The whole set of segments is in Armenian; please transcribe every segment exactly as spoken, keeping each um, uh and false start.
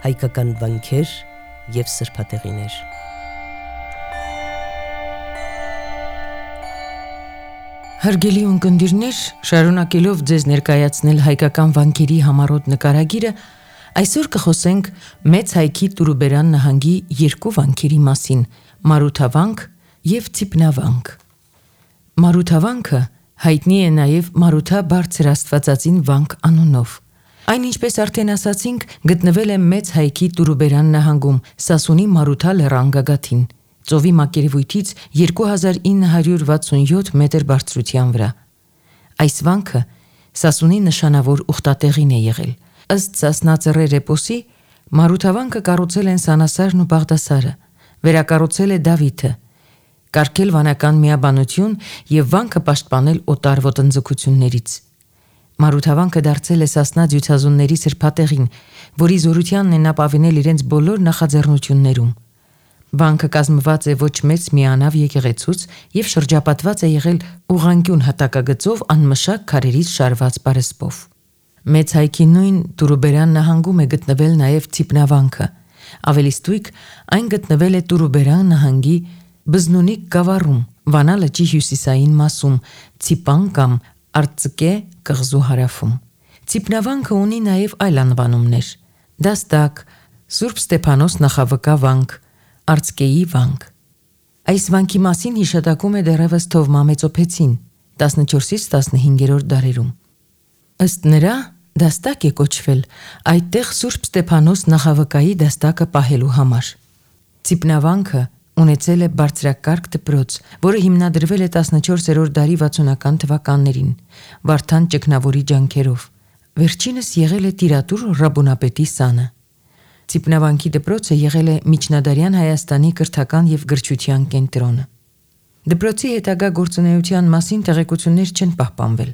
հայկական վանքեր և սրբատեղիներ։ Հարգելի ունկնդիրներ, շարունակելով ձեզ ներկայացնել հայկական վանքերի համառոտ նկարագիրը, այսօր կխոսենք Մեծ Հայքի Տուրուբերան նահանգի երկու վանքերի մասին՝ Մարութավանք և Ծիպնավանք։ Մարութավանքը հայտնի է նաև Մարութա բարձր աստվածածին վանք անունով։ Այն, ինչպես արդեն ասացինք, գտնվել է Մեծ Հայքի Տուրուբերան նահանգում, Սասունի Մարութա լեռան գագաթին, ծովի մակերևույթից երկու հազար ինը հարյուր վաթսունյոթ մետր բարձրության վրա։ Այս վանքը Սասունի նշանավոր ուխտատեղին է եղել։ Ըստ Սասնածռեր էպոսի, Մարութավանքը կառուցել են Սանասարն ու Բաղդասարը, վերակառուցել է Դավիթը, կարգել վանական միաբանություն և վանքը պաշտպանել օտար ոտնձգություններից։ Մարութավանքը դարձել է Սասնա ձյուցազունների սրբատեղին, որի զորությանն են ապավինել իրենց բոլոր նախաձեռնություններում։ Վանքը կազմված է ոչ մեծ միանավ եկեղեցուց և շրջապատված է եղել ուղղանկյուն հատակագծով անմշակ քարերից շարված պարսպով։ Մեծ Հայքի նույն Տուրուբերան նահանգում է գտնվել նաև Ծիպնավանքը։ Ավելի ստույգ, այն գտնվել է Տուրուբերան նահանգի Բզնունիկ գավառում, Վանա լճի հյուսիսային մասում, Ծիպան կամ Արծկե կղզու հարավում։ Ծիպնավանքը ունի նաև այլ անվանումներ՝ Դաստակ, Սուրբ Ստեփանոս նախավկա վանք, Արծկեի վանք։ Այս վանքի մասին հիշատակում է դեռևս Թովմա Մեծոփեցին տասնչորսից տասնհինգերորդ դարերում։ Ըստ նրա, դաստակ է կոչվել այդտեղ Սուրբ Ստեփանոս նախավկայի դաստակը պահելու համար։ Ծիպնավանքը ունեցել է բարձրակարգ դպրոց, որը հիմնադրվել է տասնչորսերորդ դարի վաթսունական թվականներին, Վարդան ճգնավորի ջանքերով։ Վերջինս եղել է տիրատուր Ռաբունապետի սանը։ Ծիպնավանքի դպրոցը եղել է միջնադարյան Հայաստանի կրթական և գրչության կենտրոնը։ Դպրոցի հետագա գործունեության մասին տեղեկություններ չեն պահպանվել։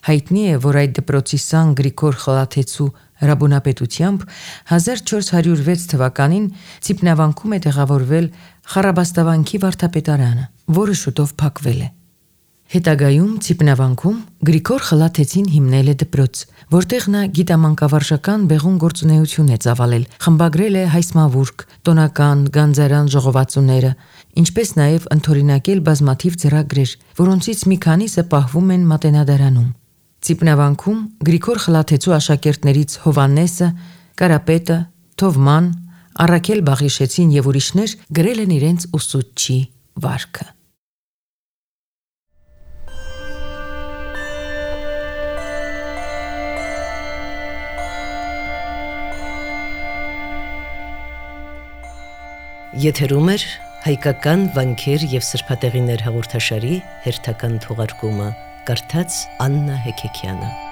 Հայտնի է, որ այդ դպրոցի սան Գրիգոր Խլաթեցու Ռաբունապետությամբ հազար չորս հարյուր վեց թվականին Ծիպնավանքում է տեղավորվել Խառաբաստավանքի վարդապետարանը, որը շուտով փակվել է։ Հետագայում Ծիպնավանքում Գրիգոր Խլաթեցին հիմնել է դպրոց, որտեղ նա գիտամանկավարժական բեղուն գործունեություն է ծավալել, խմբագրել է հայսմավուրք, տոնական, գանձարան ժողովածուները, ինչպես նաև ընդօրինակել բազմաթիվ ձեռագրեր, որոնցից մի քանիսը պահվում են Մատենադարանում։ Ծիպնավանքում Գրիգոր Խլաթեցու աշակերտներից Հովհաննեսը, Կարապետը, Թովման, Առաքել Բաղիշեցին և ուրիշներ գրել են իրենց ուսուցչի վարքը։ Եթերում էր հայկական վանքեր և սրբատեղիներ հաղորդաշարի հերթական թողարկումը, կարդաց Աննա Հեքեքյանը։